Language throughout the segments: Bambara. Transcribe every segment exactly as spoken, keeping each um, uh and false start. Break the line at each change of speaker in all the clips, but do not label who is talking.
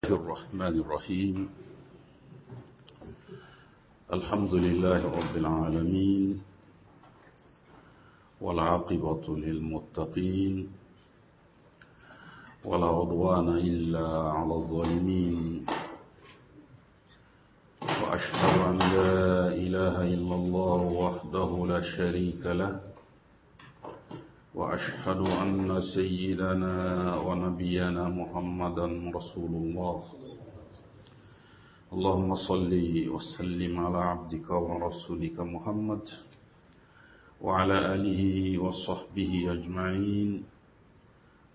الرحمن الرحيم. الحمد لله رب العالمين، والعاقبة للمتقين، ولا عدوان إلا على الظالمين، وأشهد أن لا إله إلا الله وحده لا شريك له، وأشهد أن سيدنا ونبينا محمدا رسول الله. اللهم صل وسلم على عبدك ورسولك محمد وعلى آله وصحبه أجمعين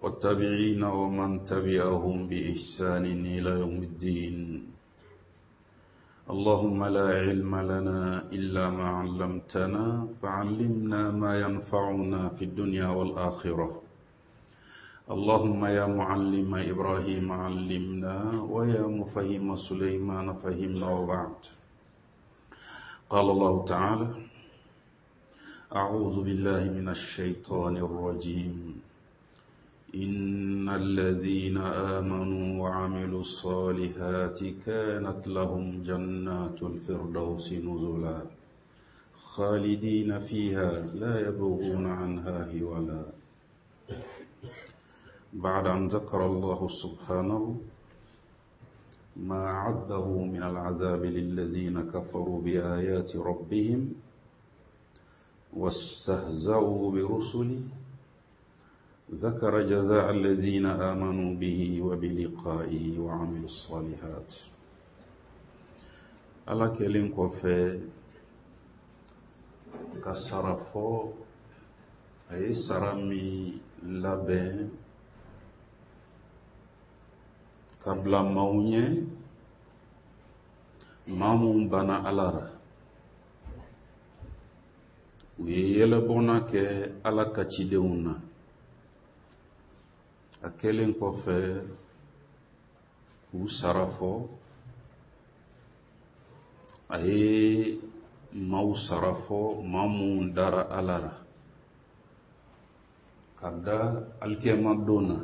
والتابعين ومن تبعهم بإحسان إلى يوم الدين. اللهم لا علم لنا إلا ما علمتنا فعلمنا ما ينفعنا في الدنيا والآخرة. اللهم يا معلم إبراهيم علمنا، ويا مفهم سليمان فهمنا، وبعد. قال الله تعالى: أعوذ بالله من الشيطان الرجيم. إن الذين آمنوا وعملوا الصالحات كانت لهم جنات الفردوس نزلا خالدين فيها لا يبغون عنها حولا. بعد أن ذكر الله سبحانه ما أعده من العذاب للذين كفروا بآيات ربهم واستهزأوا برسله، ذكر جزاء الذين آمنوا به وبلقائه وعملوا الصالحات. Ala kɛlen kɔfɛ ka sara fɔ, a ye sara min labɛn ka bila maaw ɲɛ, maa mun banna Ala la, u ye yɛlɛbɔnna kɛ Ala ka cidenw na. A kɛlen kɔfɛ k'u sara fɔ, a ye maaw sara fɔ, maa mun dara Ala la ka da alikiyama don na,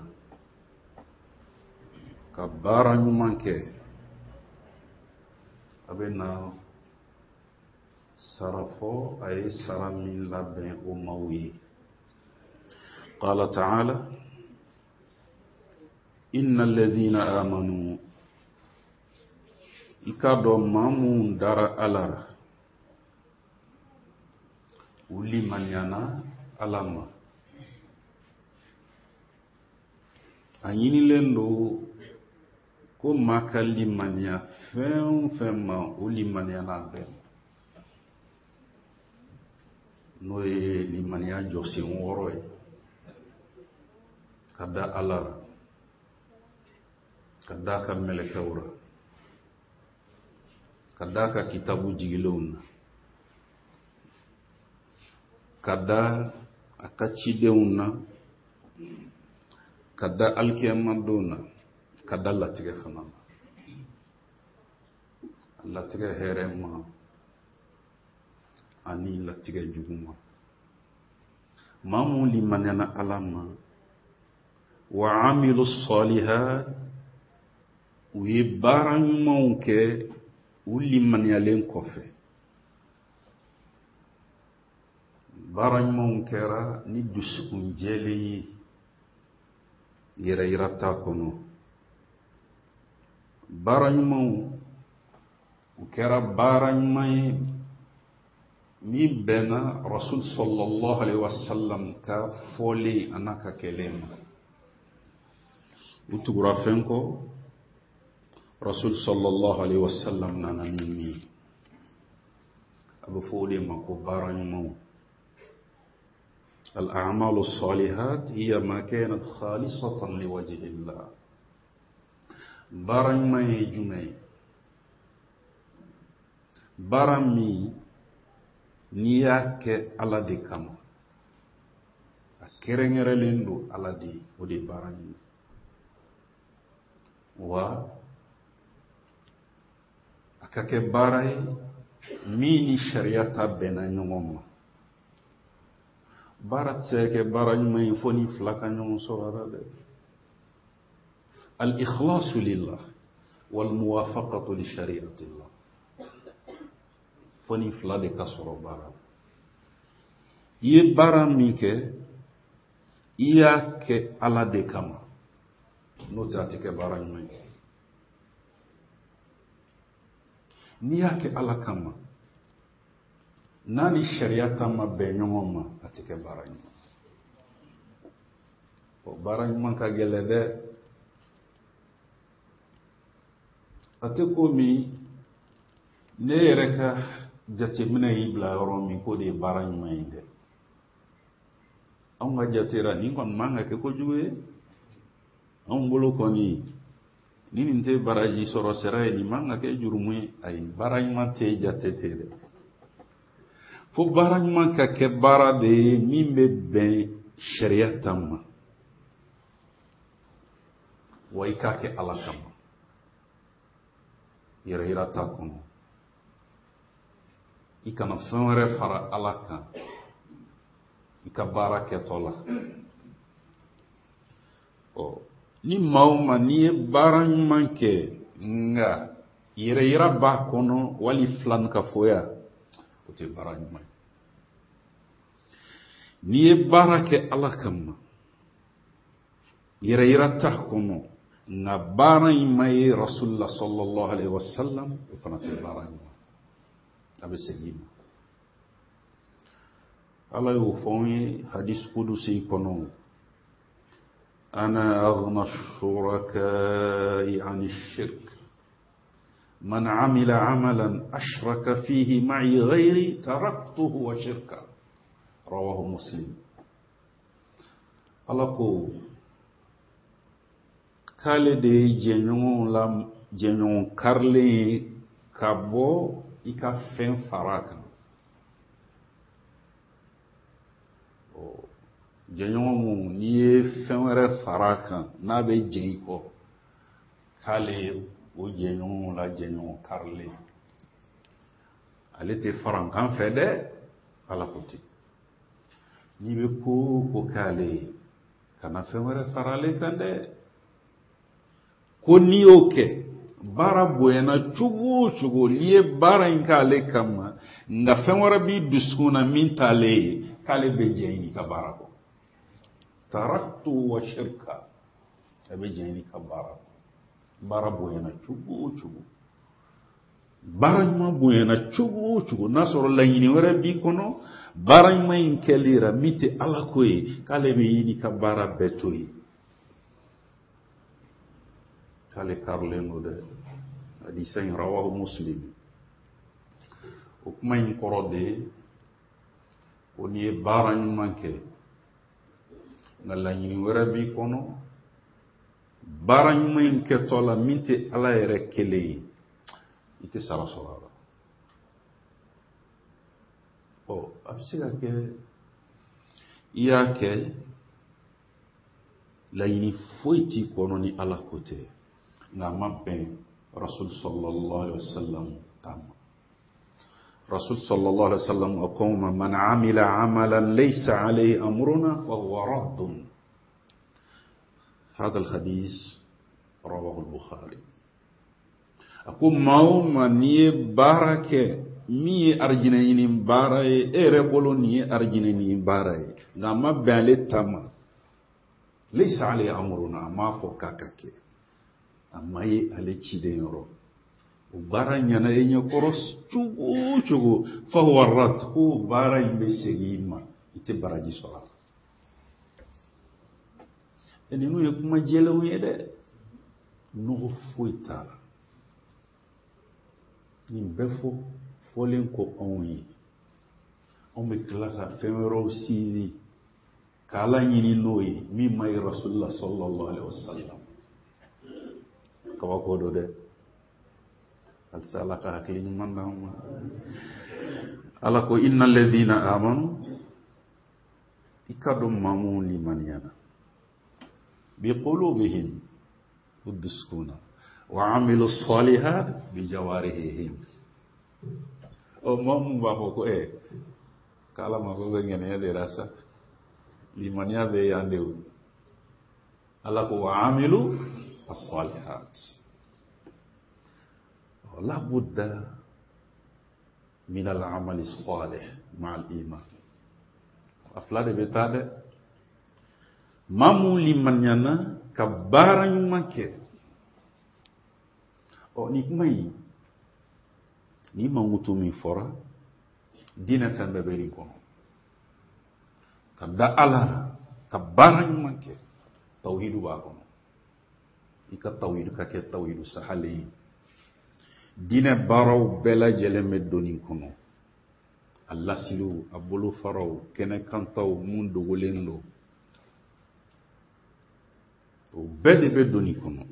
ka baara ɲuman kɛ. A bɛ na sara fɔ, a ye sara min labɛn o maaw ye. Qala ta'ala: inna alladhina amanu, i k'a dɔn maa mun dara Ala la, u limaniyana Ala ma. A ɲinilen don ko maa ka limaniya fɛn o fɛn ma, o limaniyana a bɛɛ ma, n'o ye limaniya jɔsen wɔɔrɔ ye: ka da Ala la, ka da a ka mɛlɛkɛw la, ka da a ka kitabu jigilenw na, ka da a ka cidenw na, ka da alikiyama don na, ka da latigɛ fana na, latigɛ hɛrɛ ma ani latigɛ jugu ma. Maa mun limaniyana Ala ma, wa amilu salihat, u ye baara ɲumanw kɛ u limaniyalen kɔfɛ. Baara ɲumanw kɛra ni dusukun jɛlen ye, yɛrɛ yira t'a kɔnɔ. Baara ɲumanw u kɛra baara ɲuman ye min bɛnna Rasul sallallahu alaihi wasallam ka fɔlen a n'a ka kɛlen ma. U tugura fɛn kɔ Rasul sallallahu alaihi wasallam nana ni min ye, a bɛ fɔ o de ma ko baara ɲumanw. Al-a'malu salihat hiya ma kanat khalisatan liwajhi Allah. Baara ɲuman ye jumɛn ye? Baara min n'i y'a kɛ Ala de kama, a kɛrɛnkɛrɛnlen don Ala de ye, o de ye baara ɲuman. Wa a ka kɛ baara ye min ni sariya ta bɛnna ɲɔgɔn ma. Baara tɛ se ka kɛ baara ɲuman ye fo ni fila ka ɲɔgɔn sɔrɔ a la dɛ. Al-ikhlasu lillah. wal muwafaqatu li shari'atillah. Fo nin fila de ka sɔrɔ baara la. I ye baara min kɛ, i y'a kɛ Ala de kama, n'o tɛ a tɛ kɛ baara ɲuman ye. N'i y'a kɛ Ala kama, n'a ni sariya ta ma bɛn ɲɔgɔn ma, a tɛ kɛ baara ɲuman. O baara ɲuman ka gɛlɛn dɛ. A tɛ komi ne yɛrɛ ka jateminɛ y'i bila yɔrɔ min k'o de ye baara ɲuman ye dɛ. Anw ka jate la nin kɔni man ka kɛ kojugu ye. Anw bolo kɔni ni nin tɛ baraji sɔrɔ sira ye, nin man ka kɛ jurumu ye. Ayi, baara ɲuman tɛ jate ten dɛ. Fo baara ɲuman ka kɛ baara de ye min bɛ bɛn sariya ta ma, wa i k'a kɛ Ala kama, yɛrɛ yira t'a kɔnɔ. I kana fɛn wɛrɛ fara Ala kan i ka baara kɛtɔ la. Ɔ ni maa o maa n'i ye baara ɲuman kɛ nka yɛrɛ yira b'a kɔnɔ wali filankafoya, o tɛ baara ɲuman ye. N'i ye baara kɛ Ala kama, yɛrɛ yira t'a kɔnɔ, nka baara in ma ye Rasulullah sallallahu alaihi wasallam, o fana tɛ baara ɲuman, a bɛ segin i ma. Ala y'o fɔ an ye hadis kudusi kɔnɔ, ana aghna shuraka'i ani shirk man amila amalan ashraka fihi ma'i ghayri taraktuhu wa shirka, rawahu Muslim. Ala ko k'ale de ye jɛɲɔgɔnw la jɛɲɔgɔn karilen ye ka bɔ i ka fɛn fara kan. Jɛɲɔgɔn mun n'i ye fɛn wɛrɛ fara kan n'a bɛ jɛn i kɔ, k'ale ye o jɛɲɔgɔnw la jɛɲɔgɔn karilen. Ale tɛ farankan fɛ dɛ, Ala ko ten. N'i bɛ ko o ko k'ale ye, kana fɛn wɛrɛ fara ale kan dɛ. Ko n'i y'o kɛ, baara bonyana cogo o cogo, n'i ye baara in k'ale kama, nka fɛn wɛrɛ b'i dusukun na min t'ale ye, k'ale bɛ jɛn n'i ka baara kɔ. Taraktu wa shirka, a bɛ jɛn n'i ka baara kɔ. Baara bonyana cogo o cogo, baara ɲuman bonyana cogo o cogo, n'a sɔrɔ laɲini wɛrɛ b'i kɔnɔ, baara ɲuman in kɛli la min tɛ Ala ko ye, k'ale bɛ i n'i ka baara bɛɛ to yen. K'ale karilen don dɛ. Hadisa in rawahu Muslim. O kuma in kɔrɔ de ye ko n'i ye baara ɲuman kɛ, nka laɲini wɛrɛ b'i kɔnɔ, baara ɲuman in kɛtɔ la min tɛ Ala yɛrɛ kelen ye, i tɛ sara sɔrɔ a la. Ɔ a bɛ se ka kɛ i y'a kɛ laɲini foyi t'i kɔnɔ ni Ala ko tɛ, nka a ma bɛn Rasul sallallahu alaihi wasallam ta ma. Rasul sallallahu alaihi wasallam a ko ma, man amila amalan laysa alayhi amruna fa huwa raddun. Hadha alhadis rawahu al-Bukhari. A ko maa o maa n'i ye baara kɛ min ye arijinɛ ɲini baara ye, e yɛrɛ bolo nin ye arijinɛ ɲini baara ye, nka a ma bɛn ale ta ma, laysa alayhi amruna, a m'a fɔ k'a ka kɛ, a ma ye ale ciden yɔrɔ, o baara ɲɛna e ɲɛkɔrɔ cogo o cogo, fa huwa rad, ko baara in bɛ segin i ma, i tɛ baraji sɔrɔ a la. E ninnu ye kuma jɛlenw ye dɛ, nɔgɔ foyi t'a la. Nin bɛɛ fɔ fɔlen kɔ anw ye, anw bɛ tila ka fɛn wɛrɛw sinsin k'Ala ɲini n'o ye min ma ye Rasulullah sallallahu alaihi wasallam. Kabako don dɛ. Halisa Ala ka hakili ɲuman d'an ma. Ala ko innal ladhina amanu, i ka dɔn maa minnu limaniyana, bi qulubihim, u dusukun na, wa amilu salihat bi jawarihim. Ɔ maa mun b'a fɔ ko ɛ k'Ala mako bɛ ŋɛniya de la sa, limaniya bɛ yan de o. Ala ko wa amilu as-salihat. La budda min al-amali salih ma'a al-iman. A fila de bɛ taa dɛ. Maa mun limaniyana ka baara ɲuman kɛ. Ɔ nin kuma in, nin mankutu min fɔra, diinɛ fɛn bɛɛ bɛ nin kɔnɔ. Ka da Ala la, ka baara ɲuman kɛ, tawhidu b'a kɔnɔ. I ka tawhidu ka kɛ tawhidu sahalen ye. Diinɛ baaraw bɛɛ lajɛlen bɛ don nin kɔnɔ. A lasiliw, a bolofaraw, kɛnɛkantaw, mun dogolen don, o bɛɛ de bɛ don nin kɔnɔ.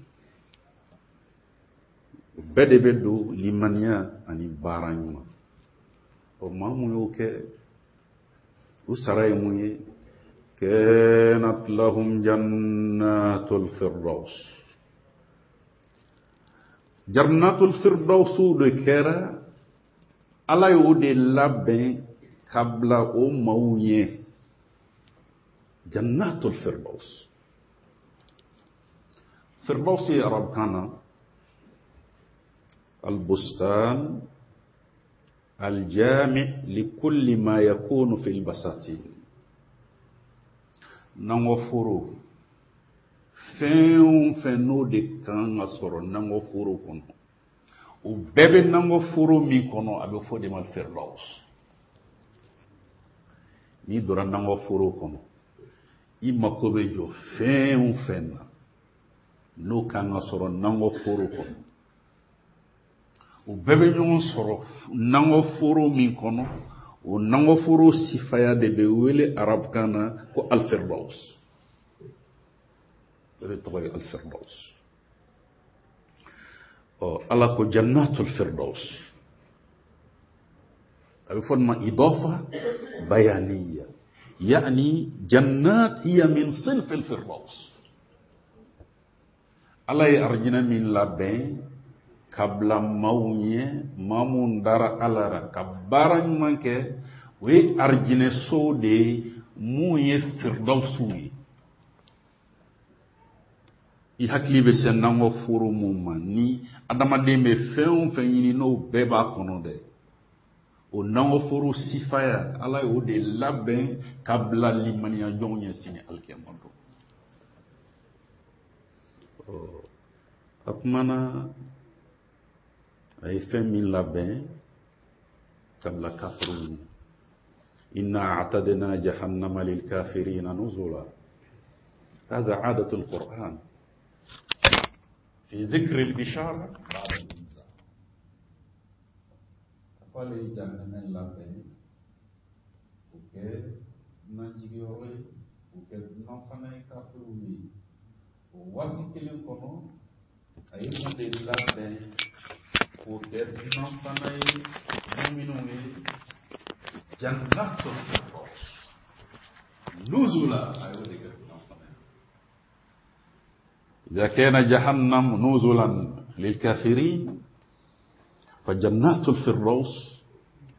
O bɛɛ de bɛ don limaniya ani baara ɲuman. Ɔ maa mun y'o kɛ, u sara ye mun ye? Kanat lahum jannatul firdaus. Jannatul firdaus de kɛra Ala y'o de labɛn ka bila o maaw ɲɛ. Jannatul firdaus. Firdaus ye arabukan na albustan aljami likulli ma yakunu fil basatin. Nangɔforo, fɛn o fɛn n'o de kan ka sɔrɔ nangɔforo kɔnɔ, o bɛɛ bɛ nangɔforo min kɔnɔ, a bɛ fɔ de ma firdaus. N'i donna nangɔforo kɔnɔ, i mako bɛ jɔ fɛn o fɛn na n'o kan ka sɔrɔ nangɔforo kɔnɔ, o bɛɛ bɛ ɲɔgɔn sɔrɔ nangɔforo min kɔnɔ, o nangɔforo sifaya de bɛ wele arabukan na ko alfirdaus. O de tɔgɔ ye alfirdaus. Ɔ Ala ko jannatul firdaus. A bɛ fɔ nin ma idafa bayaniya, yani jannat hiya min sinf alfirdaus. Ala ye arijinɛ min labɛn ka bila maaw ɲɛ, maa mun dara Ala la ka baara ɲuman kɛ, o ye arijinɛsow de ye mun ye firdausiw ye. I hakili bɛ se nangɔforo mun ma, ni adamaden bɛ fɛn o fɛn ɲini n'o bɛɛ b'a kɔnɔ dɛ, o nangɔforo sifaya Ala y'o de labɛn ka bila limaniya jɔnw ɲɛ sini alikiyama don. A kumana a ye fɛn min labɛn ka bila kafiriw ɲɛ. Inna a'tadna jahannama lil kafirina nuzula. Hadha 'adatu al-Qur'an fi dhikri al-bishara ba'da al-inzar. K'ale ye jahanama labɛn k'o kɛ dunanjigiyɔrɔ ye, k'o kɛ dunan fana ye kafiriw ye. O waati kelen kɔnɔ, a ye mun de labɛn k'o kɛ dunan fana ye muminw ye? Jannatul firdaus nuzula, a y'o de kɛ dunan fana ye. إذا كان جهنم نزلا للكافرين فجنات الفردوس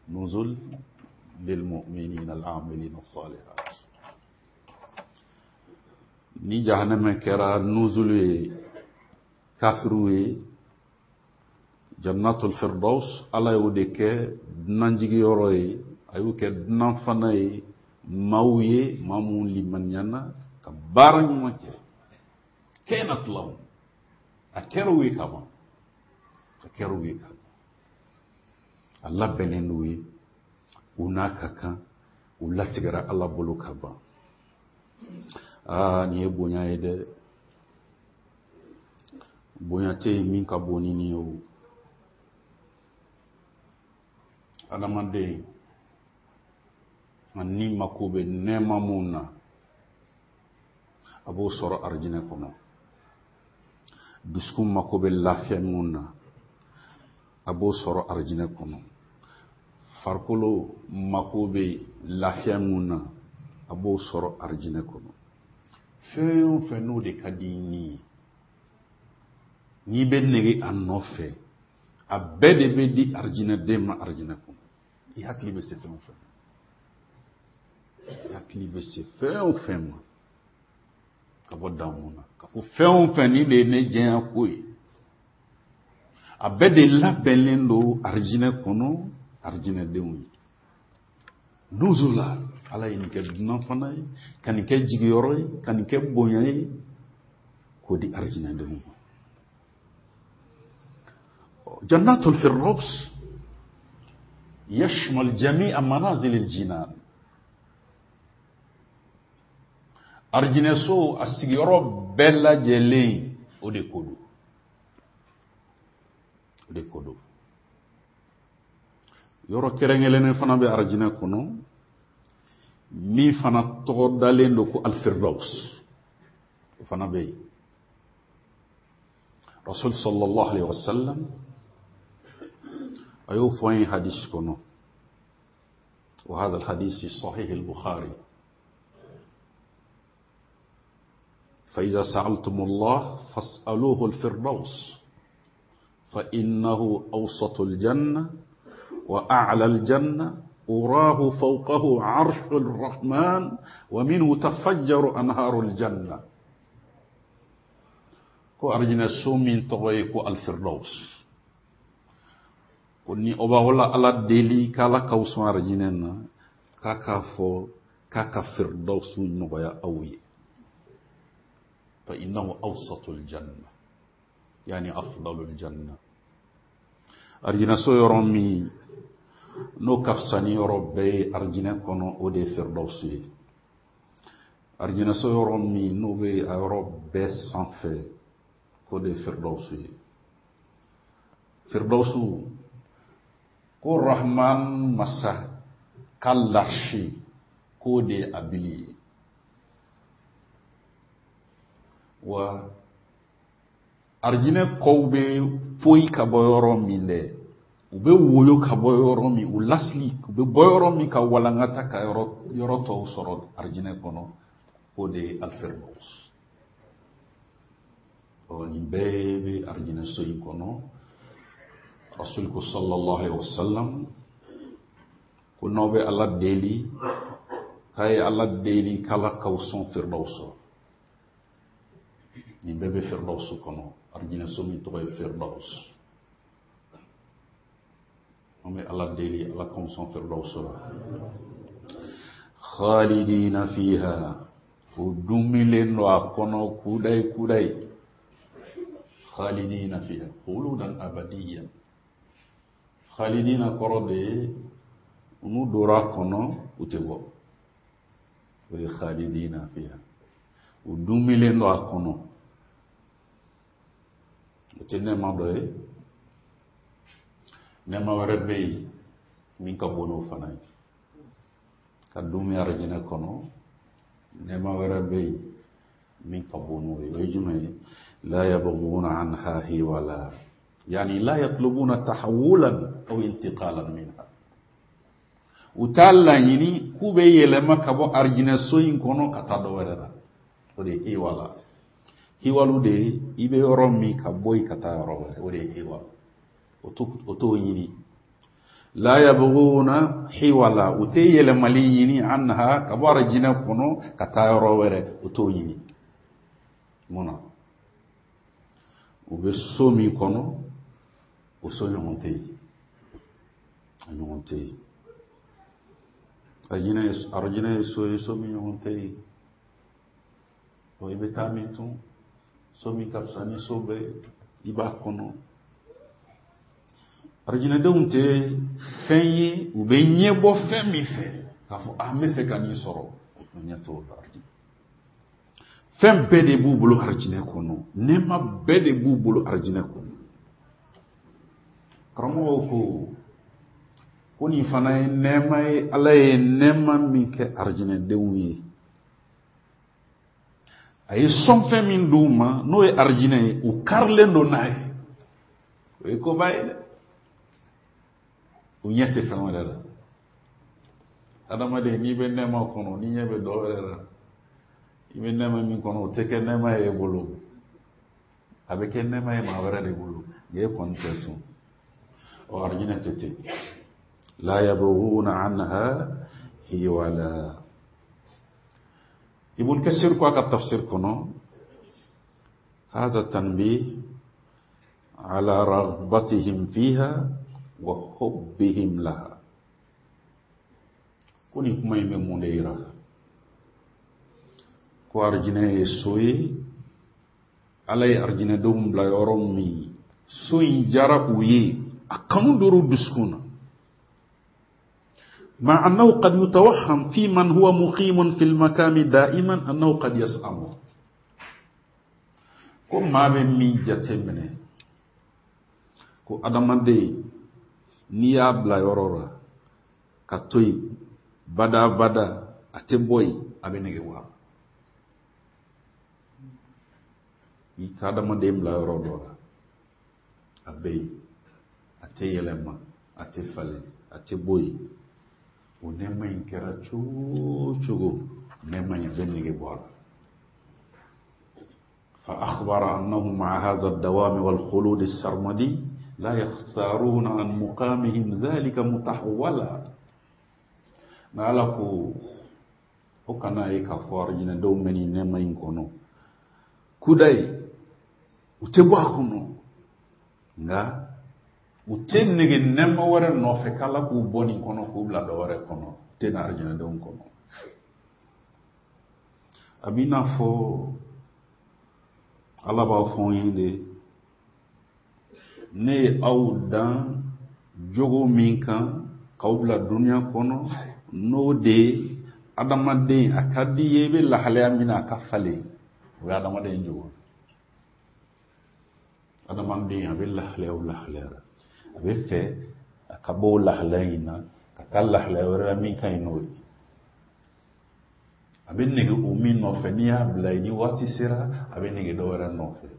نزل للمؤمنين العاملين الصالحات. Ni jahannama kɛra nuzulu ye kafiriw ye, jannatul firdaus Ala y'o de kɛ dunanjigiyɔrɔ ye, a y'o kɛ dunan fana ye maaw ye, maa mun limaniyana ka baara ɲuman kɛ. Kanat lahum, a kɛra u ye kaban, a kɛra u ye kaban, a labɛnnen n'u ye, u n'a ka kan, u latigɛra Ala bolo ka ban. Aa nin ye bonya ye dɛ, bonya tɛ yen min ka bon ni nin ye o. Adamaden, a ni mako bɛ nɛɛma mun na, a b'o sɔrɔ arijinɛ kɔnɔ. Dusukun mako bɛ lafiya mun na, a b'o sɔrɔ arijinɛ kɔnɔ. Farikolo mako bɛ lafiya mun na, a b'o sɔrɔ arijinɛ kɔnɔ. Fɛn o fɛn n'o de ka di ni ye, n'i bɛ nege a nɔfɛ, a bɛɛ de bɛ di arijinɛden ma arijinɛ kɔnɔ. I hakili bɛ se fɛn o fɛn ma, i hakili bɛ se fɛn o fɛn ma ka bɔ damu na, ka fɔ fɛn o fɛn nin de ye ne diɲɛ ko ye, A bɛɛ de labɛnnen don arijinɛ kɔnɔ arijinɛdenw ye. Nuzula, ala ye nin kɛ dunan fana ye, ka nin kɛ jigiyɔrɔ ye, ka nin kɛ bonya ye, k'o di arijinɛdenw ma. Jannatul Firdaus yashmal jami'a manazil al-jinan. Arijinɛso a sigiyɔrɔ bɛɛ lajɛlen o de ko don. O de ko don. Yɔrɔ kɛrɛnkɛrɛnnen fana bɛ arijinɛ kɔnɔ min fana tɔgɔ dalen don ko Al-Firdaus. O fana bɛ yen. Rasul sallallahu alaihi wasallam a y'o fɔ an ye hadisi kɔnɔ. Wa hadha al-hadith fi sahih al-Bukhari. فإذا سألتم الله فاسألوه الفردوس فإنه أوسط الجنة وأعلى الجنة أراه فوقه عرش الرحمن ومنه تفجر أنهار الجنة. ko arjina so min tɔgɔ ye ko Al-Firdaus. Ko ni aw b'aw la Ala deli k'Ala k'aw sɔn arijinɛ na, k'a k'a fɔ k'a ka Firdaus nɔgɔya aw ye. Fa innahu awsatul janna, yani afdalul janna. Arijinɛ so yɔrɔ min n'o ka fisa ni yɔrɔ bɛɛ ye arijinɛ kɔnɔ, o de ye Firdaus ye. Arijinɛ so yɔrɔ min n'o bɛ a yɔrɔ bɛɛ sanfɛ, k'o de ye Firdaus ye. Firdaus ko Rahman masa ka larsi k'o de ye a bili ye. Wa arijinɛ kɔw bɛ poyi ka bɔ yɔrɔ min dɛ, u bɛ woyo ka bɔ yɔrɔ min, u lasili u bɛ bɔ yɔrɔ min ka walankata ka yɔrɔ yɔrɔ tɔw sɔrɔ arijinɛ kɔnɔ, k'o de ye Al-Firdaus. Ɔ nin bɛɛ bɛ arijinɛ so in kɔnɔ. Rasul ko sallallahu alaihi wasallam ko n'aw bɛ Ala deli, k'a ye Ala deli k'Ala k'aw sɔn Firdaus. Nin bɛɛ bɛ Firdaus kɔnɔ, arijinɛ so min tɔgɔ ye Firdaus. An bɛ Ala deli Ala k'anw sɔn Firdaus la. Khalidina fiha, u dumilen don a kɔnɔ kudayi kudayi. Khalidina fiha khuludan abadiyan. Khalidina kɔrɔ de ye n'u donna a kɔnɔ u tɛ bɔ. O ye khalidina fiha. U dumilen don a kɔnɔ. O tɛ nɛɛma dɔ ye. Nɛɛma wɛrɛ bɛ yen min ka bon n'o fana ye. Ka dumi arijinɛ kɔnɔ, nɛɛma wɛrɛ bɛ yen min ka bon n'o ye. O ye jumɛn ye? La yabghuna anha hiwala, yani la yatlubuna tahawulan aw intiqalan minha. U t'a laɲini k'u bɛ yɛlɛma ka bɔ arijinɛ so in kɔnɔ ka taa dɔ wɛrɛ la. O de ye hiwala. Hiwalu de ye i bɛ yɔrɔ min ka bɔ yen ka taa yɔrɔ wɛrɛ, o de ye hiwala. O t'o ɲini. La yabghuna hiwala, u tɛ yɛlɛmali ɲini anha ka bɔ arijinɛ kɔnɔ ka taa yɔrɔ wɛrɛ, o t'o ɲini. Mun na? U bɛ so min kɔnɔ, o so ɲɔgɔn tɛ yen. A ɲɔgɔn tɛ yen. Arijinɛ ye so ye, so min ɲɔgɔn tɛ yen. I bɛ taa min tun, so min ka fisa ni so bɛɛ ye, i b'a kɔnɔ. Arijinɛdenw tɛ fɛn ye, u bɛ ɲɛbɔ fɛn min fɛ k'a fɔ a n bɛ fɛ ka nin sɔrɔ, o ɲɛ t'o la. Fɛn bɛɛ de b'u bolo arijinɛ kɔnɔ, nɛɛma bɛɛ de b'u bolo arijinɛ kɔnɔ. Karamɔgɔw ko ko nin fana ye nɛɛma ye, Ala ye nɛɛma min kɛ arijinɛdenw ye. A ye sɔnfɛn min d'u ma n'o ye arijinɛ ye, u karilen don n'a ye. O ye koba ye dɛ. U ɲɛ tɛ fɛn wɛrɛ la. Adamaden n'i bɛ nɛɛma kɔnɔ, n'i ɲɛ bɛ dɔ wɛrɛ la, i bɛ nɛɛma min kɔnɔ, o tɛ kɛ nɛɛma ye e bolo. A bɛ kɛ nɛɛma ye maa wɛrɛ de bolo, nka e kɔni tɛ tun. Ɔ arijinɛ tɛ ten. La yabghuna anha hiwala. Ibn Kasir ko a ka tafsir kɔnɔ, hadha tanbih على رغبتهم فيها وحبهم لها. Ko nin kuma in bɛ mun de yira? Ko arijinɛ ye so ye, Ala ye arijinɛdenw bila yɔrɔ min, so in diyara u ye, a kanu dora u dusukun na. مع أنه قد يتوهم في من هو مقيم في المكان دائما أنه قد يسأم. Ko maa bɛ min jateminɛ, ko adamaden n'i y'a bila yɔrɔ la ka to yen bada bada, a tɛ bɔ yen, a bɛ nege bɔ a la. I ka adamaden bila yɔrɔ dɔ la, a bɛ yen, a tɛ yɛlɛma, a tɛ falen, a tɛ bɔ yen, o nɛɛma in kɛra cogo o cogo, nɛɛma in a bɛ nege bɔ a la. فأخبر أنهم مع هذا الدوام والخلود السرمدي لا يختارون عن مقامهم ذلك متحولا. Nka ko o kana ye k'a fɔ arijinɛdenw bɛ nin nɛɛma in kɔnɔ kudayi, u tɛ bɔ a kɔnɔ, nka u tɛ nege nɛɛma wɛrɛ nɔfɛ k'Ala k'u bɔ nin kɔnɔ k'u bila dɔ wɛrɛ kɔnɔ, u tɛ na arijinɛdenw kɔnɔ. A b'i n'a fɔ Ala b'a fɔ n ye de, ne ye aw dan jogo min kan k'aw bila duniya kɔnɔ, n'o de ye adamaden a ka di ye, i bɛ lahalaya min na a ka falen, o ye adamaden jogo. Adamaden a bɛ lahalaya o lahalaya la, a bɛ fɛ a ka bɔ o lahalaya in na ka taa lahalaya wɛrɛ la min ka ɲi n'o ye. A bɛ nege o min nɔfɛ, n'i y'a bila yen, ni waati sera a bɛ nege dɔ wɛrɛ nɔfɛ.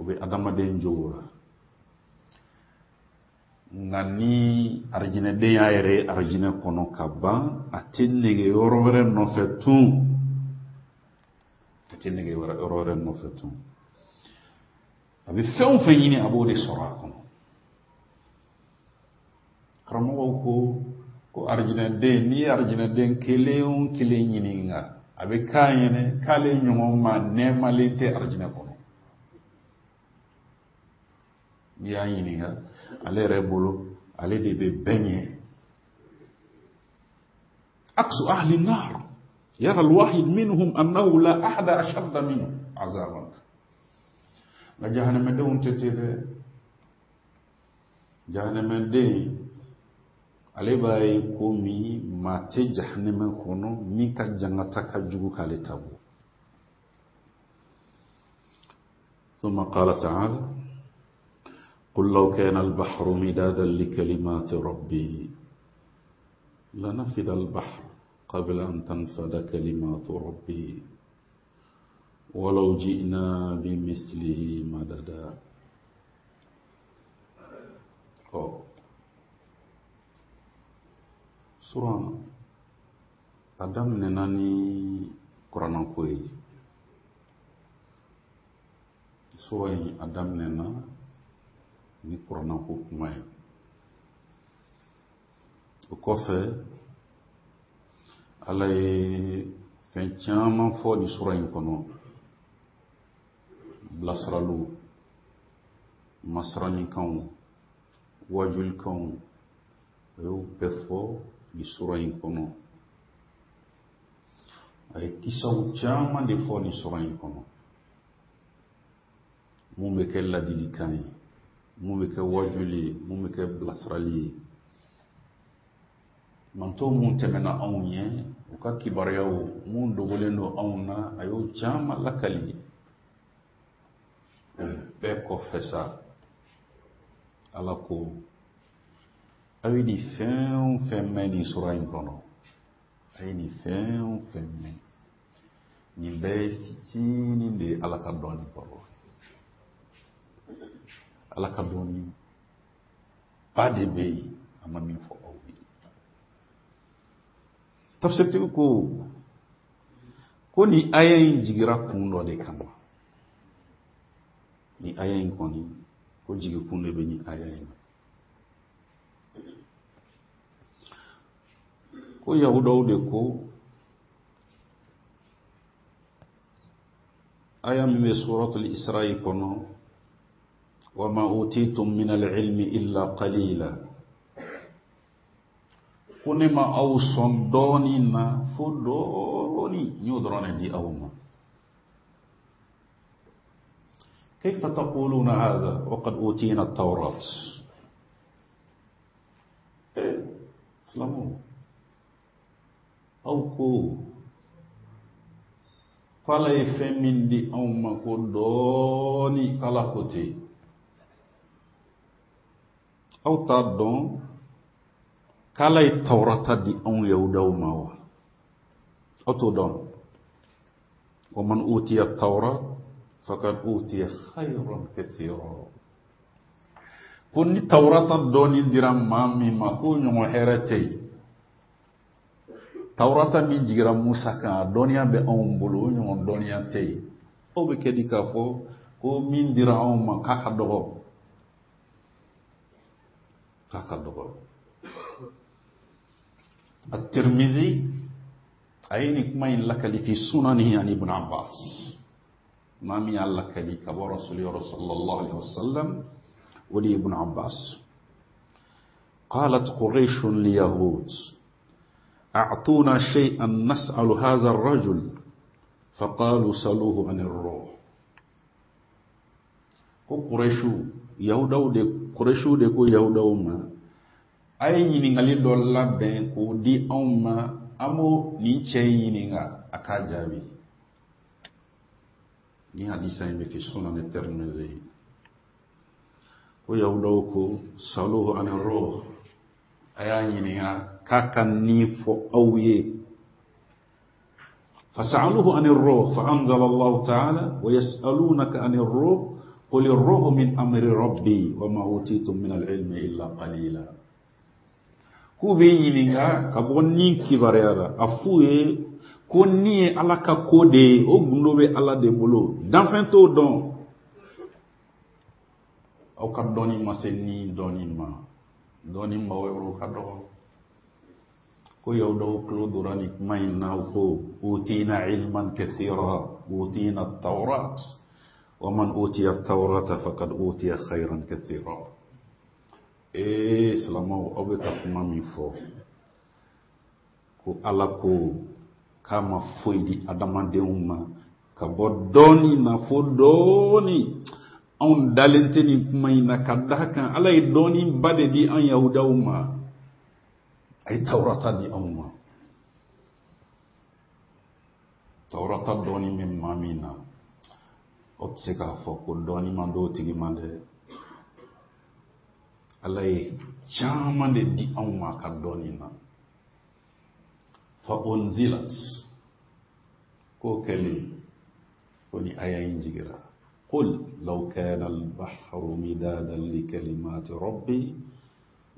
O bɛ adamaden jogo la. Nka ni arijinɛden y'a yɛrɛ ye arijinɛ kɔnɔ ka ban, a tɛ nege yɔrɔ wɛrɛ nɔfɛ tun, a tɛ nege yɔrɔ wɛrɛ nɔfɛ tun. A bɛ fɛn o fɛn ɲini, a b'o de sɔrɔ a kɔnɔ. Karamɔgɔw ko ko arijinɛden, n'i ye arijinɛden kelen o kelen ɲininka, a bɛ k'a ɲɛnɛ k'ale ɲɔgɔn ma nɛɛmalen tɛ arijinɛ kɔnɔ. N'i y'a ɲininka, ale yɛrɛ bolo ale de bɛ bɛɛ ɲɛ. Aksu ahli nar yara alwahid minhum annahu la ahada ashadda minhu azaban. Nka jahanamadenw tɛ ten dɛ. Jahanamaden ale b'a ye ko min maa tɛ jahanama kɔnɔ min ka jangata ka jugu k'ale ta bɔ. ثم قال تعالى قل لو كان البحر مدادا لكلمات ربي لنفد البحر قبل أن تنفد كلمات ربي ولو جئنا بمثله مددا. Sura a daminɛna ni kuranako ye. Sura in a daminɛna ni kuranako kuma ye. O kɔfɛ Ala ye fɛn caman fɔ nin sura in kɔnɔ, bilasiraliw, masiranikanw, wajulikanw, a y'o bɛɛ fɔ nin sura in kɔnɔ. A ye kisaw caman de fɔ nin sura in kɔnɔ, mun bɛ kɛ ladilikan ye, mun bɛ kɛ wajuli ye, mun bɛ kɛ bilasirali ye. Mantɔw mun tɛmɛna anw ɲɛ, u ka kibaruyaw mun dogolen don anw na, a y'o caman lakali. O bɛɛ kɔfɛ sa, Ala ko aw ye nin fɛn o fɛn mɛn nin sura in kɔnɔ, a ye nin fɛn o fɛn mɛn, nin bɛɛ ye fitinin de ye Ala ka dɔnni kɔrɔ. Ala ka dɔnni ba de bɛ yen, a ma min fɔ aw ye. Tafsirtigi ko ko nin aya in jigira kun dɔ de kama. Nin aya in kɔni, ko jigi kun de bɛ nin aya in na. Ko Yahudaw de ko Aya min bɛ suratul Isra'i kɔnɔ, wa ma utitum min al-ilmi illa qalila, ko ne ma aw sɔn dɔɔni na fo dɔɔni, n y'o dɔrɔn de di aw ma. Kayfa taquluna hadha wa qad utina at-tawrat. Eh, silamɛw, aw ko k'Ala ye fɛn min di anw ma ko dɔɔni, k'Ala ko ten. Aw t'a dɔn k'Ala ye Tawurata di anw Yahudaw ma wa? Aw t'o dɔn? Wa man utiya tawrat faqad utiya khayran kathira. Ko ni Tawurata dɔɔni dira maa min ma, k'o ɲɔgɔn hɛrɛ tɛ yen. Tawurata min jigira Musa kan, a dɔnniya bɛ anw bolo, o ɲɔgɔn dɔnniya tɛ yen. Aw bɛ kɛ di k'a fɔ ko min dira anw ma k'a ka dɔgɔ, k'a ka dɔgɔ. At-Tirmidhi a ye nin kuma in lakali fi sunanihi an Ibn Abbas, maa min y'a lakali ka bɔ Rasuli yɔrɔ sallallahu alaihi wasallam, o de ye Ibn Abbas. Qalat Quraysh liyahud أعطونا شيئا نسأل هذا الرجل فقالوا سلوه عن الروح. Ko Qurayshu, Yahudaw de, Qurayshu de ko Yahudaw ma, a ye ɲininkali dɔ labɛn k'o di anw ma, an b'o nin cɛ in ɲininka, a k'a jaabi. Ni hadisa in bɛ fi sunan Tirmidhi. Ko Yahudaw ko saluhu an ruh, a y'a ɲininka k'a ka nin fɔ aw ye. Fas'aluhu an ar-ruh fa anzala Allahu ta'ala wa yas'alunaka an ar-ruh qul ar-ruhu min amri rabbi wa ma utitum min al-ilmi illa qalila. K'u bɛ ɲininka ka bɔ ni kibaruya la, a f'u ye ko ni ye Ala ka ko de ye, o gundo bɛ Ala de bolo, danfɛn t'o dɔn. Aw ka dɔnni ma se ni dɔnni ma, dɔnni maaw yɔrɔ ka dɔgɔ. Ko Yahudaw tulo donna nin kuma in na, ko utina ilman kathira utina at-tawrat wa man utiya at-tawrata faqad utiya khayran kathira. Ee silamɛw, aw bɛ ka kuma min fɔ ko Ala ko k'a ma foyi di adamadenw ma ka bɔ dɔɔni na fo dɔɔni, anw dalen tɛ nin kuma in na, ka d'a kan Ala ye dɔɔni ba de di an Yahudaw ma, a ye Tawurata di anw ma. Tawurata dɔɔni bɛ maa min na, o tɛ se k'a fɔ ko dɔɔni man d'o tigi ma dɛ. Ala ye caman de di anw ma ka dɔɔni na. Fa unzilat, k'o kɛlen ko ni aya in jigira, qul law kana al-bahru midadan li kalimati rabbi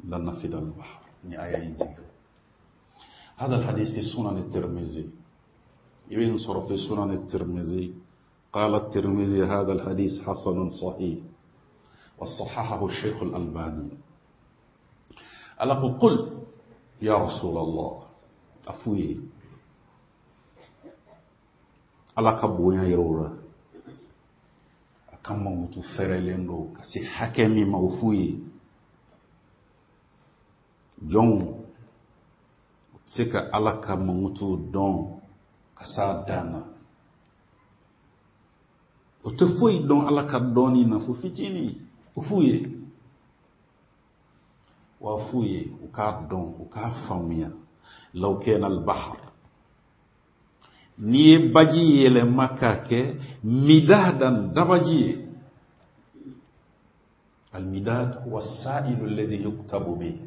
lanafida al-bahr. Ni aya in jigira. هذا الحديث في سنن الترمذي، ابن صرف في سنن الترمذي. قال الترمذي هذا الحديث حسن صحيح وصححه الشيخ الألباني. ألا قل يا رسول الله، أفوي ألا كبويا يرورا أكما متفرلين لو كسي حكمي موفوي جون seka ala ka mankutu dɔn ka s'a dan na. O tɛ foyi dɔn ala ka dɔnni na fo fitinin. O f'u ye, wa f'u ye u k'a dɔn, u k'a faamuya. Law kana al-bahr, n'i ye baji yɛlɛma k'a kɛ midadan, dabaji ye. Al-midad huwa as-sa'ilu alladhi yuktabu bihi.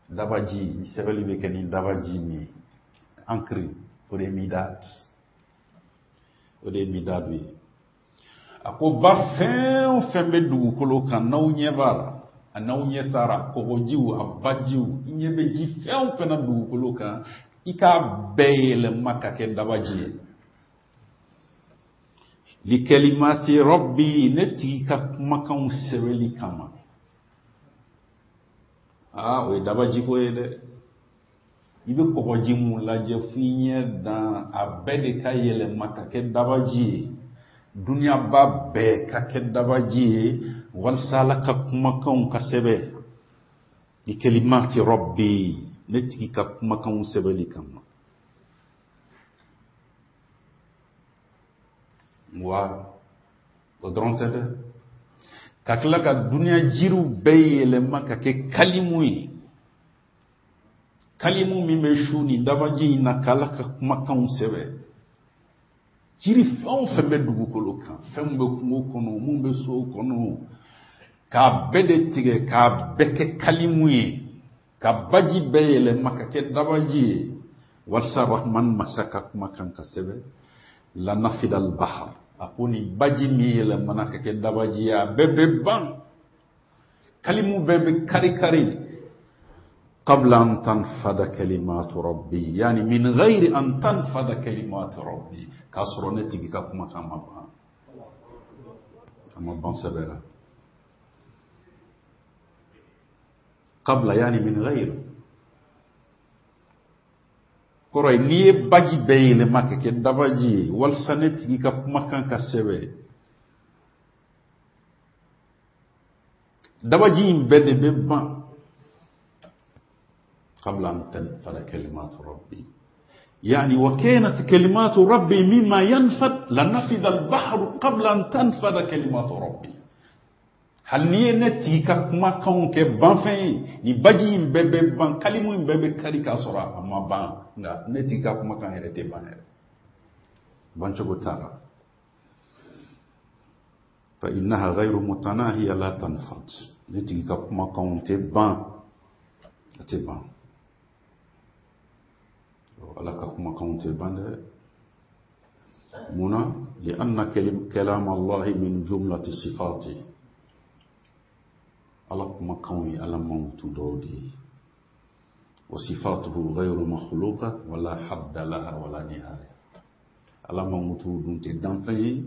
Dabaji, ni sɛbɛnni bɛ kɛ ni dabaji min ye, encre, o de ye midad, o de ye midad ye. A ko ba fɛn o fɛn bɛ dugukolo kan, n'aw ɲɛ b'a la, a n'aw ɲɛ taara kɔgɔjiw, a bajiw, i ɲɛ bɛ ji fɛn o fɛn na dugukolo kan, i k'a bɛɛ yɛlɛma ka kɛ dabaji ye. Li kalimati rabbi, ne tigi ka kumakanw sɛbɛnli kama. Aa, o ye dabajiko ye dɛ. I bɛ kɔgɔji mun lajɛ f'i ɲɛ dan, a bɛɛ de ka yɛlɛma ka kɛ dabaji ye. Duniyaba bɛɛ ka kɛ dabaji ye walasa Ala ka kumakanw ka sɛbɛn. Bi kalimati rabbi, ne tigi ka kumakanw sɛbɛnli kama. Wa o dɔrɔn tɛ dɛ, ka tila ka duniya jiriw bɛɛ yɛlɛma ka kɛ kalimu ye. Kalimu min bɛ su ni dabaji in na k'Ala ka kumakanw sɛbɛn. Jiri fɛn o fɛn bɛ dugukolo kan, fɛn bɛ kungo kɔnɔ, mun bɛ so kɔnɔ, k'a bɛɛ de tigɛ k'a bɛɛ kɛ kalimu ye, ka baji bɛɛ yɛlɛma ka kɛ dabaji ye walasa Rahman masa ka kumakan ka sɛbɛn. La nafida al-bahar, a ko ni baji min yɛlɛmana ka kɛ dabaji ye, a bɛɛ bɛ ban, kalimu bɛɛ bɛ kari kari. Qabla an tanfada kalimatu rabbi, yani min ghayri an tanfada kalimatu rabbi, k'a sɔrɔ ne tigi ka kumakan ma ban, a ma ban sɛbɛ la. Qabla yani min ghayri, kɔrɔ ye n'i ye baji bɛɛ yɛlɛma ka kɛ dabaji ye walasa ne tigi ka kumakan ka sɛbɛ, dabaji in bɛɛ de bɛ ban. قبل أن تنفذ كلمات ربي، يعني وكانت كلمات ربي مما ينفذ لنفذ البحر قبل أن تنفذ كلمات ربي. Hali n'i ye ne tigi ka kumakanw kɛ banfɛn ye, ni baji in bɛɛ bɛ ban, kalimu in bɛɛ bɛ kari k'a sɔrɔ a ma ban, nka ne tigi ka kumakan yɛrɛ tɛ ban yɛrɛ, bancogo t'a la. Fa innaha ghayru mutanahiya la tanfad, ne tigi ka kumakanw tɛ ban, a tɛ ban. Ala ka kumakanw tɛ ban dɛ. Munna? Li'anna kalam Allahi min jumlati sifati, Ala kumakanw ye Ala mankutu dɔw de ye. Wa sifatuhu ghayru makhluqa wala hadda laha wala nihaya, Ala mankutu dun tɛ danfɛn ye,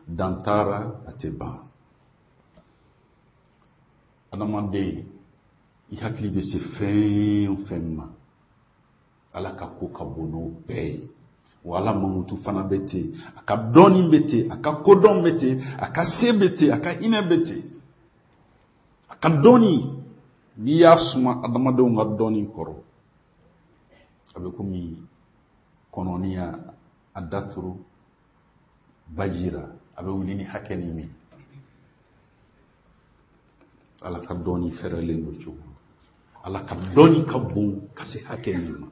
dan t'a la, a tɛ ban. Adamaden, i hakili bɛ se fɛn o fɛn ma, Ala ka ko ka bon n'o bɛɛ ye. Wa Ala mankutu fana bɛ ten, a ka dɔnni bɛ ten, a ka kodɔn bɛ ten, a ka se bɛ ten, a ka hinɛ bɛ ten. A ka dɔnni, n'i y'a suma adamadenw ka dɔnni kɔrɔ, a bɛ komi kɔnɔni y'a daturu baji la, a bɛ wuli ni hakɛ ni min. Ala ka dɔnni fɛrɛlen don cogo, Ala ka dɔnni ka bon ka se hakɛ min ma.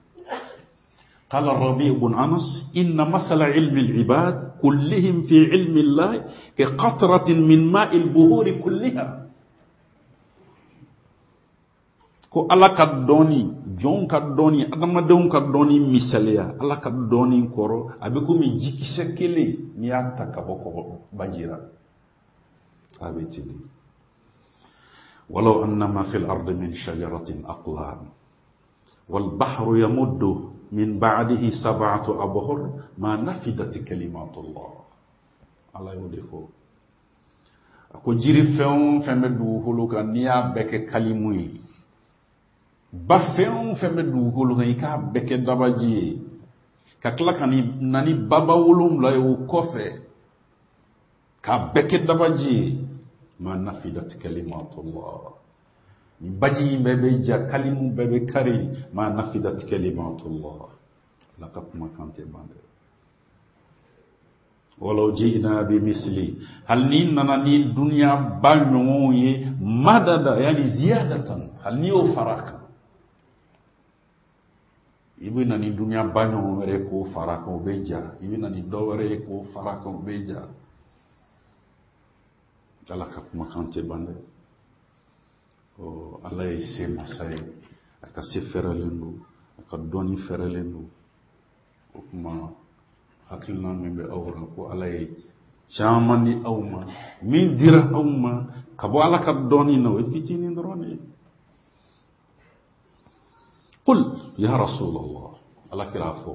قال الربيع بن أنس: إن مثل علم العباد كلهم في علم الله كقطرة من ماء البهور كلها. Ko Ala ka dɔnni, jɔnw ka dɔnni, adamadenw ka dɔnni misaliya Ala ka dɔnni kɔrɔ, a bɛ komi jikisɛ kelen n'i y'a ta ka bɔ kɔgɔ baji la, a bɛ ten de. Walaw annama fil ardi min shajaratin aqlam wal bahru yamuddu min ba'dihi sab'atu abhur ma nafidat kalimatullah. Ala y'o de fɔ. A ko jiri fɛn o fɛn bɛ dugukolo kan, n'i y'a bɛɛ kɛ kalimu ye, ba fɛn o fɛn bɛ dugukolo kan, i k'a bɛɛ kɛ dabaji ye, ka tila ka na ni baba wolonwula ye o kɔfɛ, k'a bɛɛ kɛ dabaji ye, ma nafidat kalimatullah. Ni baji in bɛɛ bɛ ja, kalimu bɛɛ bɛ kari, ma nafidat kalimatullah. Ala ka kumakan tɛ ban dɛ. Walaw ji'na bi misli, hali n'i nana ni duniya ba ɲɔgɔnw ye, madada yani ziyadatan, hali n'i y'o fara a kan, i bɛ na ni duniya ba ɲɔgɔn wɛrɛ k'o fara a kan, o bɛ ja. I bɛ na ni dɔ wɛrɛ ye k'o fara a kan, o bɛ ja. Ala ka kumakan tɛ ban dɛ. Ala ye se masa ye, a ka se fɛrɛlen don, a ka dɔnni fɛrɛlen don. O tuma hakilina min bɛ aw la ko Ala ye caman di aw ma, min dira aw ma ka bɔ Ala ka dɔnni na, o ye fitinin dɔrɔn de ye. Qul ya Rasulallah, Ala kira a fɔ,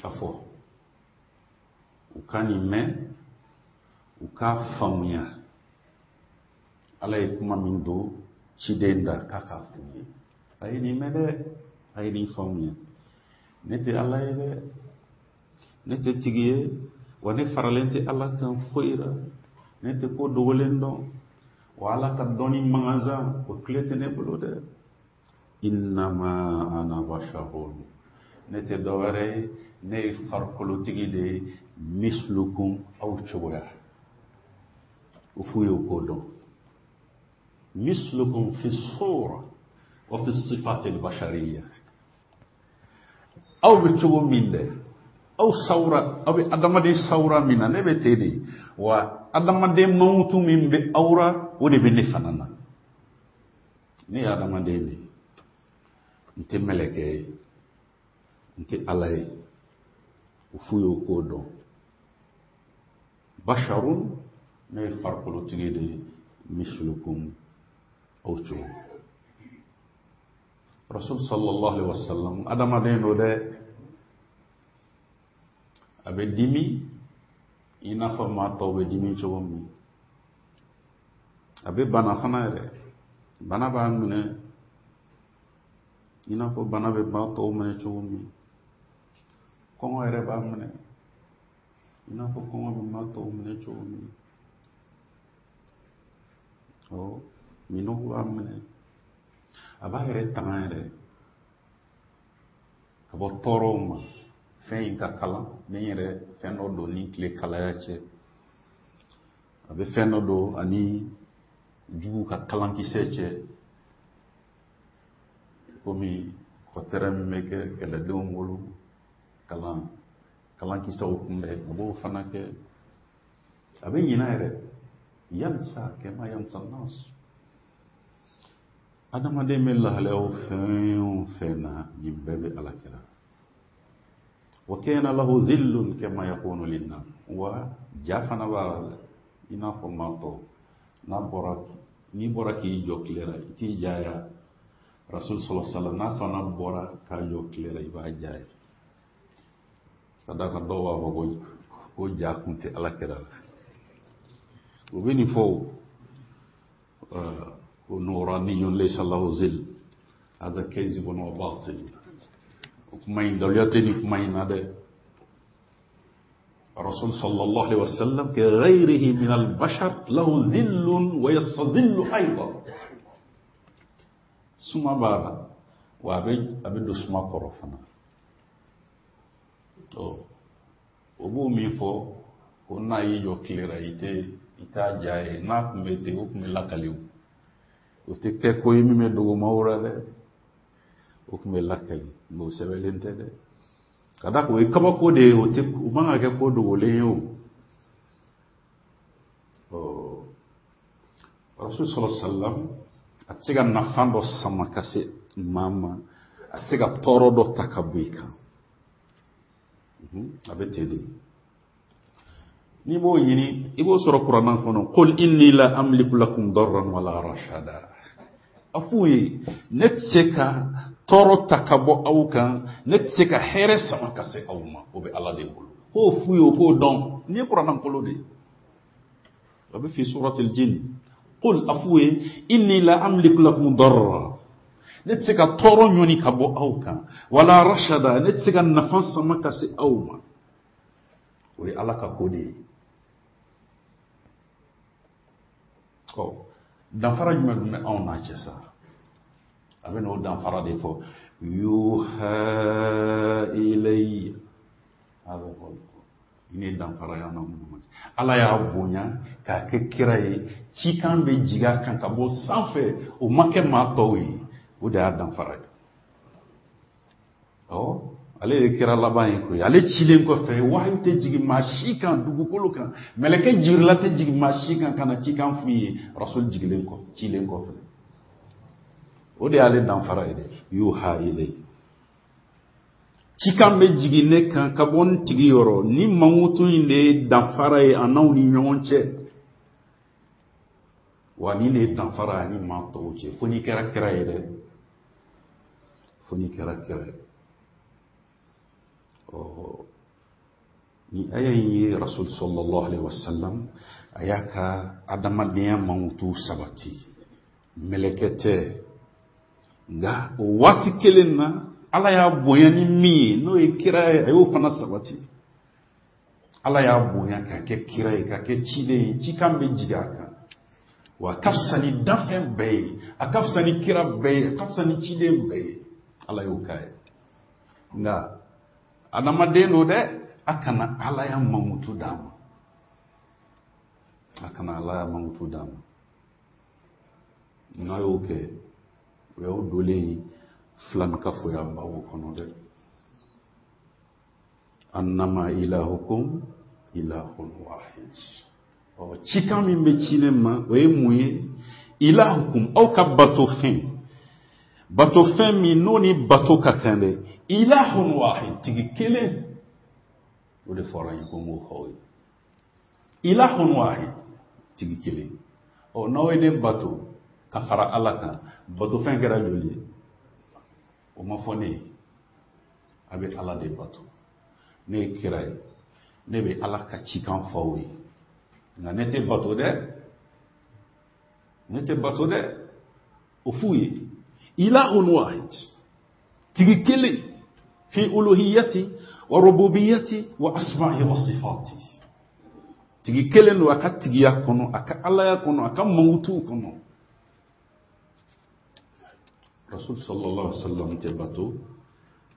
a fɔ u ka nin mɛn, u k'a faamuya. Ala ye kuma min don ciden da k'a k'a f'u ye. A ye nin mɛn dɛ, a ye nin faamuya. Ne tɛ Ala ye dɛ, ne tɛ tigi ye, wa ne faralen tɛ Ala kan foyi la, ne tɛ ko dogolen dɔn, wa Ala ka dɔnni mankansan o tile tɛ ne bolo dɛ. Innama ana basharun, ne tɛ dɔwɛrɛ ye, ne ye farikolotigi de ye, mislukum, aw cogoya. O f'u ye o k'o dɔn. Mislukum fi sura wa fi sifati al-bashariyya. Aw bɛ cogo min dɛ, aw sawura, aw bɛ adamaden sawura min na, ne bɛ ten de, wa adamaden mankutu min bɛ aw ra, o de bɛ ne fana na. Ne ye adamaden de ye, n tɛ mɛlɛkɛ ye, n tɛ Ala ye. O f'u ye o k'o dɔn. Basharun, ne ye farikolotigi de ye, mislukum, aw cogo. Rasul sallallahu alaihi wasallam adamaden don dɛ, a bɛ dimi i n'a fɔ maa tɔw bɛ dimi cogo min, a bɛ bana fana yɛrɛ, bana b'a minɛ i n'a fɔ bana bɛ maa tɔw minɛ cogo min, kɔngɔ yɛrɛ b'a minɛ i n'a fɔ kɔngɔ bɛ maa tɔw minɛ cogo min, ɔ minɔgɔ b'a minɛ, a b'a yɛrɛ tanga yɛrɛ ka bɔ tɔɔrɔw ma. Fɛn in ka kalan, ni n yɛrɛ fɛn dɔ don ni tile kalaya cɛ, a bɛ fɛn dɔ don ani jugu ka kalankisɛ cɛ, komi kɔtɛrɛ min bɛ kɛ kɛlɛdenw bolo kalan kalankisɛw kunbɛn, a b'o fana kɛ. A bɛ ɲinɛ yɛrɛ, yansa kama yansa nas. Adamaden bɛ lahalayaw fɛn o fɛn na, nin bɛɛ bɛ Ala kira. Wa kana lahu dhillun kama yakunu linnas, wa ja fana b'a la i n'a fɔ maa tɔw. N'a bɔra, n'i bɔra k'i jɔ tile la, i t'i ja ya. Rasul sallallahu alaihi wasallam n'a fana bɔra k'a jɔ tile la, i b'a ja ye. Ka d'a kan dɔw b'a fɔ ko ko ja kun tɛ Ala kira la. U bɛ nin fɔ o, ko nuraniyun laysa lahu zil, hada kazibun wa batil. O kuma in daluya tɛ nin kuma in na dɛ. Rasul sallallahu alaihi wasallam ka ghayrihi min al-bashar lahu dhillun wa yastadhillu aydan. Suma b'a la, wa a bɛ a bɛ don suma kɔrɔ fana. Ɔ o b'o min fɔ ko n'a y'i jɔ tile la, i tɛ i t'a ja ye. N'a tun bɛ ten, o tun bɛ lakali o. O tɛ kɛ ko ye min bɛ dogo maaw la dɛ, o tun bɛ lakali, nka o sɛbɛnlen tɛ dɛ. Ka d'a kan o ye kabako de ye, o tɛ, o man ka kɛ ko dogolen ye o. Ɔ Rasul sallallahu alaihi wasallam a tɛ se ka nafa dɔ sama ka se maa ma, a tɛ se ka tɔɔrɔ dɔ ta ka bɔ i kan. A bɛ ten de. N'i b'o ɲini, i b'o sɔrɔ Kuranɛ kɔnɔ. Qul inni la amliku lakum darran wala rashada. A f'u ye, ne tɛ se ka tɔɔrɔ ta ka bɔ aw kan, ne tɛ se ka hɛrɛ sama ka se aw ma, o bɛ Ala de bolo. K'o f'u ye, o k'o dɔn. Nin ye Kuranɛ kolo de ye. A bɛ fi suratil jinn. Qul, a f'u ye, inni la amliku lakum darra. Ne tɛ se ka tɔɔrɔ ɲɔni ka bɔ aw kan, wala rashada, ne tɛ se ka nafa sama ka se aw ma. O ye Ala ka ko de ye. Ɔ danfara jumɛn tun bɛ anw n'a cɛ sa? A bɛ n'o danfara de fɔ. Yuha ilayya, ni danfara y'an n'aw ni ɲɔgɔn cɛ. Ala y'a bonya k'a kɛ kira ye, cikan bɛ jigin a kan ka bɔ sanfɛ, o ma kɛ maa tɔw ye, o de y'a danfara ye. Ɔ ale ye kira laban ye koyi. Ale cilen kɔfɛ, wahayu tɛ jigin maa si kan dugukolo kan, mɛlɛkɛ Jibirila tɛ jigin maa si kan ka na cikan f'u ye, Rasul jigilen kɔfɛ, cilen kɔfɛ. O de y'ale danfara ye dɛ. Yuha ilayya, cikan bɛ jigin ne kan ka bɔ n tigi yɔrɔ. Ni mankutu in de ye danfara ye a n'aw ni ɲɔgɔn cɛ, wa nin de ye danfara ye ani maa tɔw cɛ. Fo n'i kɛra kira ye dɛ, fo n'i kɛra kira ye. Ɔ ni aya in ye Rasul sallallahu alaihi wasallam a y'a ka adamadenya mankutu sabati. Mɛlɛkɛ tɛ, Nka o waati kelen na Ala y'a bonya ni min ye n'o ye kira ye, a y'o fana sabati. Ala y'a bonya ka kɛ kira ye, ka kɛ ciden ye, cikan bɛ jigin a kan. Wa a ka fisa ni danfɛn bɛɛ ye, a ka fisa ni kira bɛɛ ye, a ka fisa ni ciden bɛɛ ye. Ala y'o k'a ye. Nka adamaden don dɛ, a kana Ala ya mankutu d'a ma. A kana Ala ya mankutu d'a ma. N'a y'o kɛ, o y'aw dolen ye filankafoya bawo kɔnɔ dɛ. Annama ilahukum ilahun wahid. Ɔ cikan min bɛ ci ne ma, o ye mun ye? Ilahukum, aw ka bato fɛn, bato fɛn min n'o ni bato ka kan dɛ, ilahun wahid, tigi kelen. O de fɔra n ye ko n k'o fɔ aw ye. Ilahun wahid, tigi kelen. Ɔ n'aw ye ne bato ka fara Ala kan, bato fɛn kɛra joli ye? O ma fɔ ne ye. A bɛ Ala de bato. Ne ye kira ye, ne bɛ Ala ka cikan fɔ aw ye. Nka ne tɛ bato dɛ, ne tɛ bato dɛ. O f'u ye. Ilahun wahid, tigi kelen, fi uluhiyati wa rububiyati wa asma'i wa sifati. Tigi kelen don a ka tigiya kɔnɔ, a ka alaya kɔnɔ, a ka mankutuw kɔnɔ. Rasul sallallahu alaihi wasallam tɛ bato,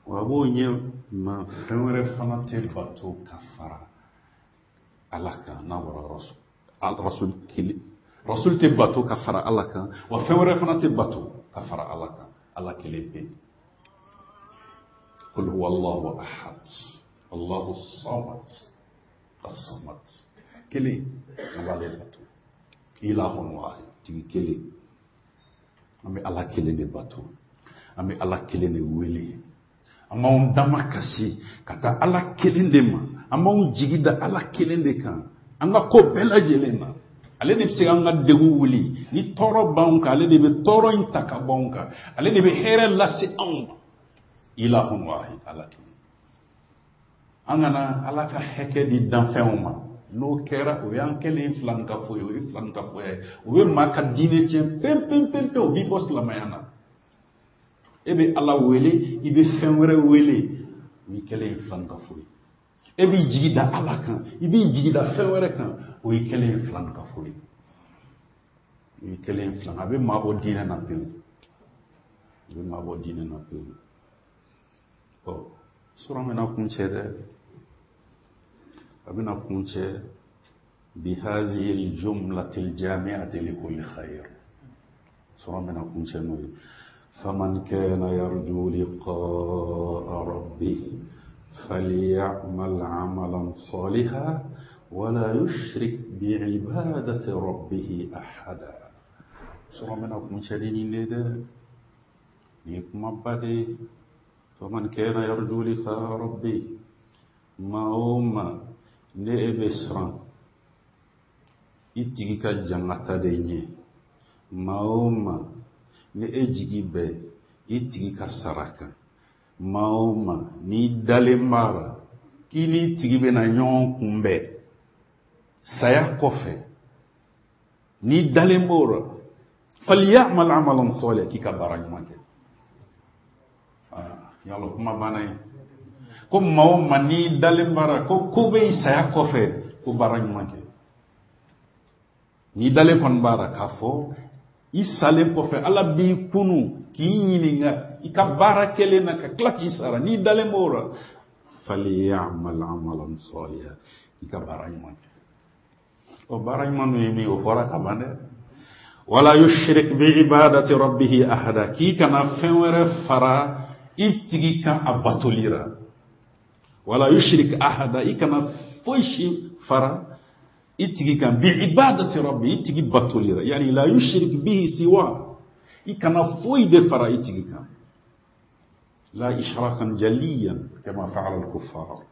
wa a b'o ɲɛ ma fɛn wɛrɛ fana tɛ bato ka fara Ala kan n'a bɔra Rasul. Rasul kelen, Rasul tɛ bato ka fara Ala kan, wa fɛn wɛrɛ fana tɛ bato ka fara Ala kan. Ala kelen pe. Qul huwa Allahu ahad, Allahu samad, as-samad. Kelen, an b'ale bato. Ilahun wahid, tigi kelen. An bɛ Ala kelen de bato, an bɛ Ala kelen de wele, an b'anw dama kasi ka taa Ala kelen de ma, an b'anw jigi da Ala kelen de kan, an ka ko bɛɛ lajɛlen na. Ale de bɛ se k'an ka degun wuli, ni tɔɔrɔ b'anw kan, ale de bɛ tɔɔrɔ in ta ka bɔ anw kan, ale de bɛ hɛrɛ lase anw ma. Ilahun wahid, Ala kelen. An kana Ala ka hakɛ di danfɛnw ma. N'o kɛra, o y'an kɛlen filankafo ye, o ye filankafoya ye. O bɛ maa ka diinɛ tiɲɛ pewu pewu pewu pewu, o b'i bɔ silamɛya na. E bɛ Ala wele, i bɛ fɛn wɛrɛ wele, o y'i kɛlen ye filankafo ye. E b'i jigi da Ala kan, i b'i jigi da fɛn wɛrɛ kan, o y'i kɛlen ye filankafo ye. O y'i kɛlen ye filan, a bɛ maa bɔ diinɛ na pewu. A bɛ maa bɔ diinɛ na pewu. Ɔ sura bɛna kuncɛ dɛ. A bɛna kuncɛ bihazihi aljumlati aljami'ati likulli khair. Sura bɛna kuncɛ n'o ye. Faman kana yarju liqa'a rabbih falyamal 'amalan salihan wala yushrik bi'ibadati rabbih ahada. Sura bɛna kuncɛ ni nin de dɛ. Nin ye kumaba de ye. Faman kana yarju liqa'a rabbih, maa o maa ne e bɛ siran i tigi ka jangata de ɲɛ, maa o maa ni e jigi bɛ i tigi ka sara kan, maa o maa n'i dalen b'a la k'i n'i tigi bɛna ɲɔgɔn kunbɛn saya kɔfɛ, n'i dalen b'o la, falyamal amalan salihan, k'i ka baara ɲuman kɛ. Yala kuma banna ye. Ko maa o maa n'i dalen b'a la ko ko bɛ saya kɔfɛ, ko baara ɲuman kɛ. N'i dalen kɔni b'a la k'a fɔ i salen kɔfɛ Ala b'i kunu k'i ɲininka i ka baara kɛlen na ka tila k'i sara, n'i dalen b'o la, falyamal amalan salihan, k'i ka baara ɲuman kɛ. Ɔ baara ɲuman dun ye min ye, o fɔra ka ban dɛ. Wala yushrik bi ibadati rabbih ahada, k'i kana fɛn wɛrɛ fara i tigi kan a batoli la. Wala yushrik ahada, i kana foyi si fara i tigi kan bi ibadati rabbi, i tigi batoli la. Yani la yushrik bihi siwa, i kana foyi de fara i tigi kan. La ishrakan jaliyan kama fa'ala al-kuffar,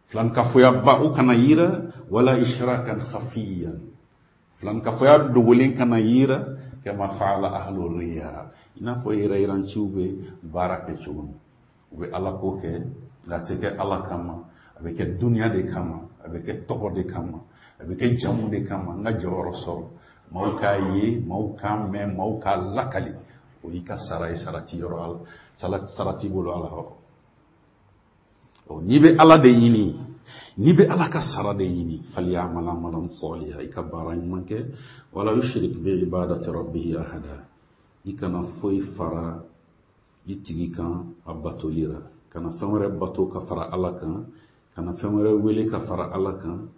filankafoya ba o kana yira, wala ishrakan khafiyan, filankafoya dogolen kana yira, kama fa'ala ahlu riya, i n'a fɔ yɛrɛ yiranciw bɛ baara kɛ cogo min. U bɛ Ala ko kɛ, nka a tɛ kɛ Ala kama, a bɛ kɛ duniya de kama, a bɛ kɛ tɔgɔ de kama, a bɛ kɛ jamu de kama, n ka jɔyɔrɔ sɔrɔ, maaw k'a ye, maaw k'a mɛn, maaw k'a lakali. O y'i ka sara ye, sara t'i yɔrɔ ala, sara t'i bolo ala yɔrɔ. Ɔ n'i bɛ ala de ɲini, n'i bɛ ala ka sara de ɲini, falyamal amalan salihan, i ka baara ɲuman kɛ. Wala yushrik bi ibadati rabbihi ahada, i kana foyi fara i tigi kan a batoli la, kana fɛn wɛrɛ bato ka fara ala kan, kana fɛn wɛrɛ wele ka fara ala kan,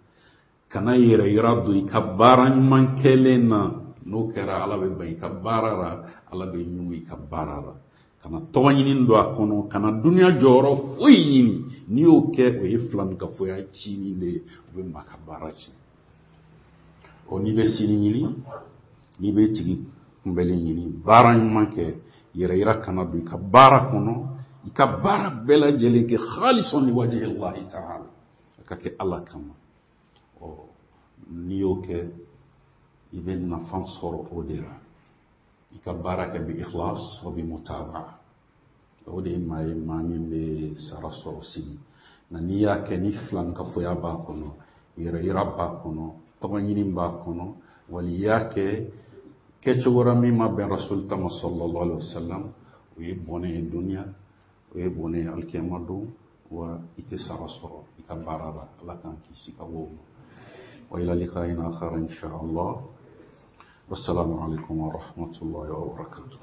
kana yɛrɛ yira don i ka baara ɲuman kɛlen na. N'o kɛra, ala bɛ ban i ka baara la, ala bɛ ɲugu i ka baara la. Kana tɔgɔ ɲini don a kɔnɔ, kana duniya jɔyɔrɔ foyi ɲini. N'i y'o kɛ, o ye filankafoya cinin de ye, o bɛ maa ka baara tiɲɛ. Ɔ n'i bɛ sini ɲini, n'i bɛ tigi kunbɛli ɲini, baara ɲuman kɛ, yɛrɛ yira kana don i ka baara kɔnɔ, i ka baara bɛɛ lajɛlen kɛ khalisan li wajhi Allahi ta'ala, a ka kɛ ala kama. Ɔ n'i y'o kɛ, i bɛ nafa sɔrɔ o de la. I ka baara kɛ bi ikhlas wa bi mutabaa, o de ye maa ye maa min bɛ sara sɔrɔ sini. Nka n'i y'a kɛ ni filankafoya b'a kɔnɔ, yɛrɛ yira b'a kɔnɔ, tɔgɔ ɲini b'a kɔnɔ, wali i y'a kɛ kɛcogo la min ma bɛn rasul ta ma sallallahu alaihi wasallam, o ye bɔnɛ ye duniya, o ye bɔnɛ ye alikiyama don, wa i tɛ sara sɔrɔ i ka baara la. Ala k'an kisi ka bɔ o ma. Wa ila liqa'in akhar insha Allah. Wassalamu alaikum wa rahmatullahi wa barakatuh.